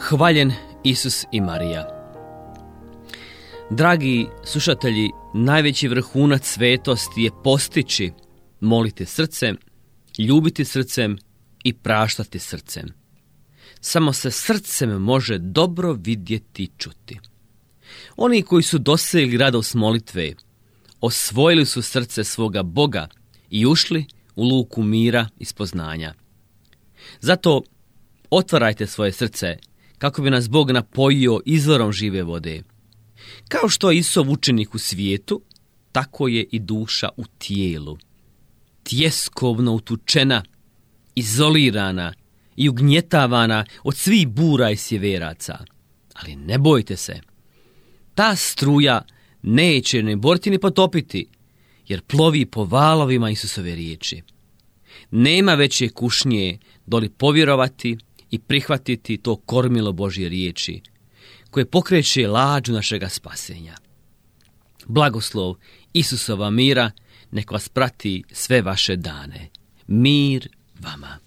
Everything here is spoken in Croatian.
Hvaljen Isus i Marija. Dragi slušatelji, najveći vrhunac svetosti je postići, moliti srcem, ljubiti srcem i praštati srcem. Samo se srcem može dobro vidjeti i čuti. Oni koji su dosegli radost molitve, osvojili su srce svoga Boga i ušli u luku mira i spoznanja. Zato otvarajte svoje srce kako bi nas Bog napojio izvorom žive vode. Kao što je Isov učenik u svijetu, tako je i duša u tijelu. Tjeskovno utučena, izolirana i ugnjetavana od svih bura i sjeveraca. Ali ne bojte se, ta struja neće ne boriti ni potopiti, jer plovi po valovima Isusove riječi. Nema veće kušnje doli povjerovati i prihvatiti to kormilo Božje riječi, koje pokreće lađu našega spasenja. Blagoslov Isusova mira nek vas prati sve vaše dane. Mir vama.